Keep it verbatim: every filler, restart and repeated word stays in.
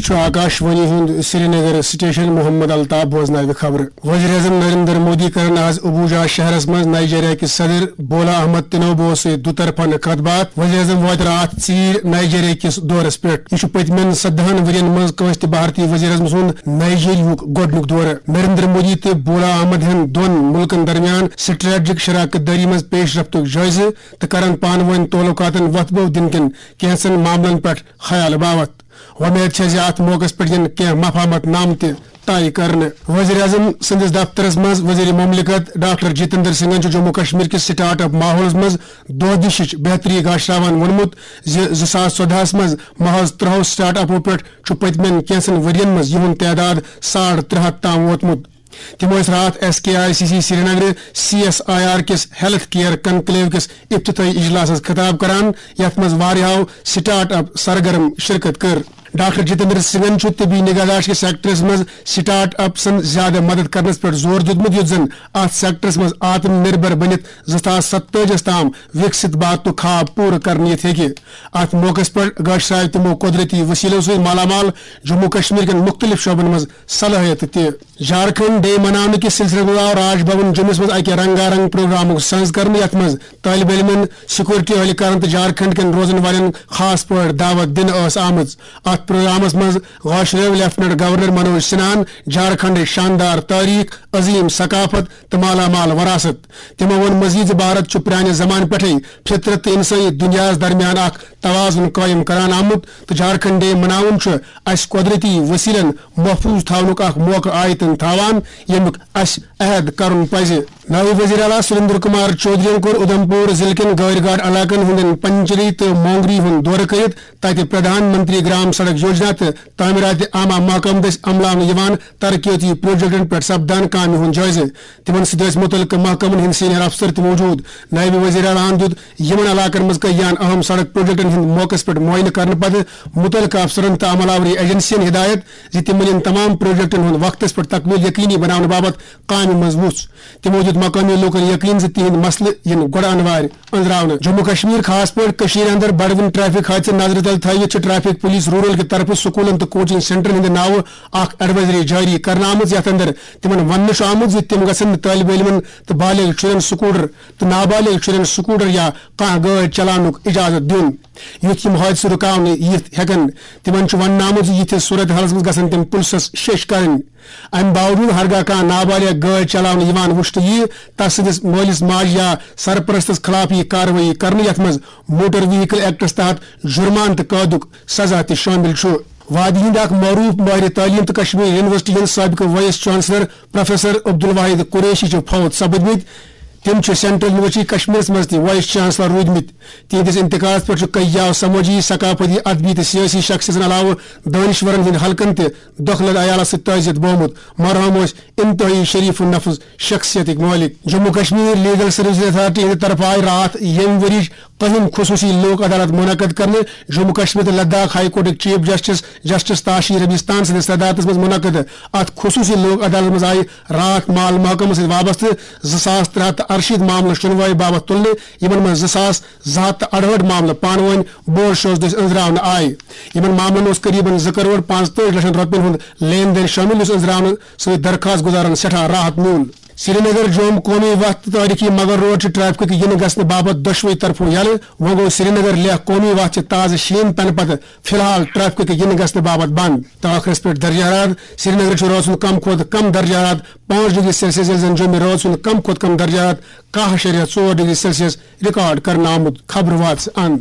چھُ آکاش وانی ہُنٛد سرینگر سٹیشن۔ محمد الطاف بوزناوِ خبرٕ۔ وزیر اعظم نریندر مودی کرن آز ابوجا شہرس منٛز نائیجیریا کِس صدر بولا احمد تنوبو سۭتۍ دُطرفہ کتھ باتھ۔ وزیر اعظم واتہِ راتھ ژیٖرۍ نائیجیریا کِس دورس پٮ۪ٹھ۔ یہِ چھُ پٔتمٮ۪ن سدہن ؤرین منٛز کٲنٛسہِ تہِ بھارتی وزیر اعظم سُنٛد نائیجیریاہُک گۄڈٕنیُک دورٕ۔ نریندر مودی تہٕ بولا احمد ہن دۄن مُلکن درمیان سٹریٹجک شراکت دٲری منٛز پیش رفتُک جٲیزٕ تہٕ کرن پانہٕ وٲنۍ تعلقاتن وۄتھٕ بو دِنہٕ کٮ۪ن کینٛژن معاملن پٮ۪ٹھ خیال باوتھ۔ وۄمید چھےٚ زِ اتھ موقعس پٮ۪ٹھ یِن کینٛہہ مفاہمت نامہٕ تہِ طے کرنہٕ۔ وزیر اعظم سٕنٛدِس دفترس منٛز وزیر مملکت ڈاکٹر جتیندر سنگھن چھُ جموں کشمیر کِس سٹارٹ اپ ماحولس منٛز دۄہ دِشٕچ بہتری گاشراوان ووٚنمُت زِ زٕ ساس ژۄدہَس منٛز محض ترٛہو سٹارٹ اپو پٮ۪ٹھ چھُ پٔتمٮ۪ن کینٛژن ؤرین منٛز یِہُنٛد تعداد ساڑ ترٛےٚ ہتھ تام ووتمُت۔ تِمو ٲسۍ راتھ S K I C C Srinagar C S I R کِس ہیلتھ کیئر کنکلیو کِس افتتاحی اجلاسس خطاب کران، یتھ منٛز واریاہو سٹارٹ اپ سرگرم شرکت کٔر۔ ڈاکٹر جتیندر سنگھن چھُ طبی نگہداشت کِس سیکٹرس منٛز سٹارٹ اپسن زیادٕ مدد کرنس پٮ۪ٹھ زور دیُتمُت، یُتھ زن اتھ سیکٹرس منٛز آتم نربھر بٔنِتھ زٕ ساس ستتٲجی تام وکسِت بھارتُک خواب پوٗرٕ کرنہٕ یِتھ ہیٚکہِ۔ اتھ موقعس پٮ۪ٹھ گٲشرٲوۍ تِمو قۄدرتی وسیلو سۭتۍ مالامال جموں کشمیر کٮ۪ن مُختٔلِف شعبن منٛز صلٲحیت تہِ۔ جھارکھنڈ ڈے مناونہٕ کِس سلسلس منٛز آو راج بھون جوٚمِس منٛز اکہِ رنگا رنگ پروگرامُک سنز کرنہٕ، یتھ منٛز طٲلب علمن، سیکورٹی اہلکارن تہٕ جھارکھنڈ کٮ۪ن روزن والٮ۪ن خاص پٲٹھۍ دعوت دِنہٕ ٲس آمٕژ۔ اتھ پروگرامس منٛز گاشرٲوۍ لیفٹیننٹ گورنر منوج سنہاہن جھارکھنڈٕچ شاندار تٲریخ، عظیم ثقافت تہٕ مالامال وراثت۔ تِمو ووٚن مزید زِ بھارت چھُ پرانہِ زمانہٕ پٮ۪ٹھے فطرت تہٕ انسٲنی دنیاہس درمیان اکھ توازن قٲیِم کران آمُت تہٕ جھارکھنڈ ڈے مناوُن چھُ اسہِ قۄدرتی وسیلن محفوظ تھاونُک اکھ موقعہٕ آیتن تھاوان، ییٚمیُک اسہِ عہد کرُن پزِ۔ نٲیِب وزیر اعلیٰ سریندر کمار چودھرین کوٚر اُدھمپور ضلعہٕ کٮ۪ن گٲرۍ گاٹ علاقن ہٕنٛدٮ۪ن پنچری تہٕ مونگری ہُنٛد دورٕ کٔرِتھ تتہِ پردھان منتری گرام سڑک یوجنا تہٕ تعمیرات عامہ محکمہٕ دٔسۍ عملاونہٕ یِوان ترقیتی پروجیکٹن پٮ۪ٹھ سپدان کامہِ ہُنٛد جٲیزٕ۔ تِمن سۭتۍ ٲسۍ مُتعلقہٕ محکمن ہٕنٛدۍ سینئر افسر تہِ موجود۔ نٲیِب وزیر اعلیٰ ہَن دیُت یِمن علاقن منٛز کٔہیاہن اہم سڑک پروجیکٹن ہُنٛد موقعس پٮ۪ٹھ معائنہٕ کرنہٕ پتہٕ مُتعلقہٕ افسرن تہٕ عمل آوری ایجنسین ہدایت زِ تِم نِن تمام پروجیکٹن ہُنٛد وقتس پٮ۪ٹھ تکمیل یقینی بناونہٕ باپتھ کامہِ منٛز وُژھ۔ تِمو دیُت مقٲمی لوٗکن یقین زِ تِہنٛدۍ مسلہٕ یِن گۄڈٕ انوارِ أنٛزراونہٕ۔ جموں کشمیر، خاص پٲٹھۍ کٔشیٖر اندر بڑوٕنۍ ٹریفک حٲدثہٕ نظرِ تل تھٲوِتھ چھِ ٹریفک پولیس رورل کہِ طرفہٕ سکوٗلن تہٕ کوچنگ سینٹرن ہٕنٛدِ ناوٕ اکھ ایڈوائزری جٲری کرنہٕ آمٕژ، یتھ اندر تِمن وننہٕ چھُ آمُت زِ تِم گژھن نہٕ طٲلب علمن تہٕ بالغ شُرٮ۪ن سکوٹر تہٕ نابالغ شُرٮ۪ن سکوٹر یا کانٛہہ گٲڑۍ چلاونُک اجازت دیُن، یُتھ یِم حٲدثہٕ رُکاونہٕ یِتھ ہٮ۪کن۔ تِمن چھُ وننہٕ آمُت زِ یِتھِس صورت حالس منٛز گژھن تِم پُلسس شیٚش کرٕنۍ۔ امہِ باوجود ہرگاہ کانٛہہ نابالغ گٲڑۍ چلاونہٕ یِوان وُچھنہٕ یِیہِ، تس سٕنٛدِس مٲلِس ماجہِ یا سرپرستس خلاف یِیہِ کاروٲیی کرنہٕ، یتھ منٛز موٹر وہیکل ایکٹس تحت جرمانہٕ تہٕ قٲدُک سزا تہِ شٲمِل چھُ۔ وادی ہٕنٛدۍ اکھ معروف ماہر تعلیٖم تہٕ کشمیر یونیورسٹی ہٕنٛدۍ سابقہٕ vice chancellor professor Abdul Wahid Qureshi چھِ فوت سپٕدمٕتۍ۔ تِم چھِ سینٹرل یونیورسٹی کشمیرس منٛز تہِ وائس چانسلر روٗدمٕتۍ۔ تِہنٛدِس انتقالس پٮ۪ٹھ چھُ کئی سمٲجی، ثقافتی، ادبی تہٕ سیٲسی شخصیتن علاوٕ دٲنشورن ہٕنٛدۍ حلقن تہِ دۄکھلہٕ عیالس سۭتۍ تعزیت بومُت۔ مرحوم ٲسۍ انتہٲئی شریف النفس شخصیتٕکۍ مٲلِک۔ Jammu Kashmir legal services authority ہٕنٛدِ طرفہٕ آیہِ راتھ ییٚمہِ ؤرِیٕچ کٔہِم خصوٗصی لوک عدالت منعقد کرنہٕ۔ جموں کشمیر تہٕ لداخ ہائی کورٹٕکۍ chief justice justice Tashi Rabstan سٕنٛدِس صدارتس منٛز منعقد۔ اتھ خصوٗصی لوک عدالتس منٛز آیہِ راتھ مال محکمس سۭتۍ وابستہٕ زٕ ساس ترٛےٚ ہتھ تہٕ ارشیٖتھ معاملہٕ شُنوٲے باپتھ تُلنہٕ، یِمن منٛز زٕ ساس زٕ ہتھ تہٕ اَڑہٲٹھ معاملہٕ پانہٕ وٲنۍ بوڈ شوز دٔسۍ أنٛزراونہٕ آیہِ۔ یِمن معاملن اوس قریباً زٕ کرور پانٛژتٲجی لچھن رۄپین ہُنٛد لین دین شٲمِل، یُس أنٛزراونہٕ سۭتۍ درخواست گُزارن سٮ۪ٹھاہ راحت میوٗل۔ سرینگر جوم قومی وتھ تہٕ تٲریخی مغل روڈ چھِ ٹریفکٕکۍ یِنہٕ گژھنہٕ باپتھ دۄشوٕے طرفو یلہٕ۔ وۄنۍ گوٚو سرینگر لیہہ قومی وتھ چھِ تازٕ شیٖن پٮ۪نہٕ پتہٕ فی الحال ٹریفکٕکۍ یِنہٕ گژھنہٕ باپتھ بنٛد۔ تہٕ ٲخرس پٮ۪ٹھ درجہ حرارت۔ سرینگرٕ چھُ رٲژ ہُنٛد کم کھۄتہٕ کم درجہ حرارت پانٛژھ ڈگری سیلسیس، ییٚلہِ زن جوٚمہِ رٲژ ہُنٛد کم کھۄتہٕ کم درجہ حرارت کاہ اعشاریہ ژور ڈگری سیلسیس ریکارڈ کرنہٕ آمُت۔ خبرٕ واژٕ اند۔